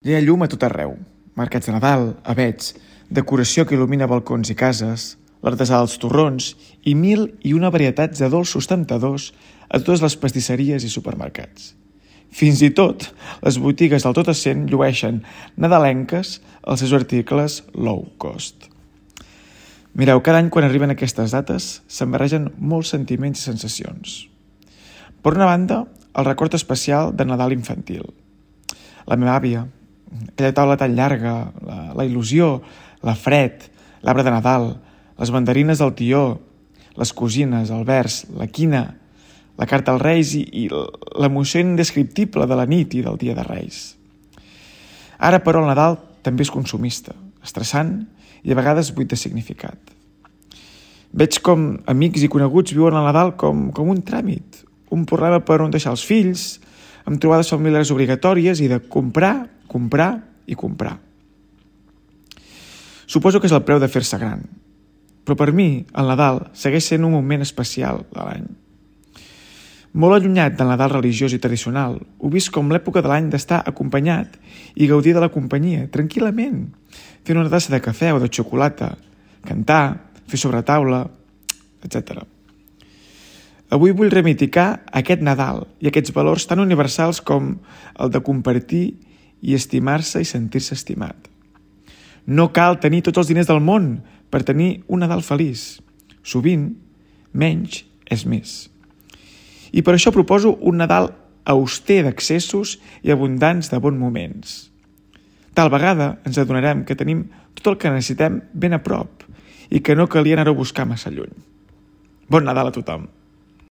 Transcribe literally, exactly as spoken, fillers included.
Ja hi ha llum a tot arreu. Mercats de Nadal, avets, decoració que il·lumina balcons i cases, l'artesà dels torrons i mil i una varietats de dolços temptadors a totes les pastisseries i supermercats. Fins i tot, les botigues del tot essent llueixen nadalenques els seus articles low cost. Mireu, cada any quan arriben aquestes dates se'n barregen molts sentiments i sensacions. Per una banda, el record especial de Nadal infantil. La meva àvia, aquella taula tan llarga, la, la il·lusió, la fred, l'arbre de Nadal, les mandarines del tió, les cosines, el vers, la quina, la carta als Reis i, i l'emoció indescriptible de la nit i del dia de Reis. Ara, però, el Nadal també és consumista, estressant i a vegades buit de significat. Veig com amics i coneguts viuen el Nadal com, com un tràmit, un problema per on deixar els fills, amb trobades familiars obligatòries i de comprar, comprar i comprar. Suposo que és el preu de fer-se gran, però per mi el Nadal segueix sent un moment especial de l'any. Molt allunyat del Nadal religiós i tradicional, ho vist com l'època de l'any d'estar acompanyat i gaudir de la companyia, tranquil·lament, fent una tassa de cafè o de xocolata, cantar, fer sobretaula, etcètera. Avui vull reivindicar aquest Nadal i aquests valors tan universals com el de compartir i estimar-se i sentir-se estimat. No cal tenir tots els diners del món per tenir un Nadal feliç. Sovint, menys és més. I per això proposo un Nadal auster d'accessos i abundants de bons moments. Tal vegada ens adonarem que tenim tot el que necessitem ben a prop i que no calia anar-ho a buscar massa lluny. Bon Nadal a tothom!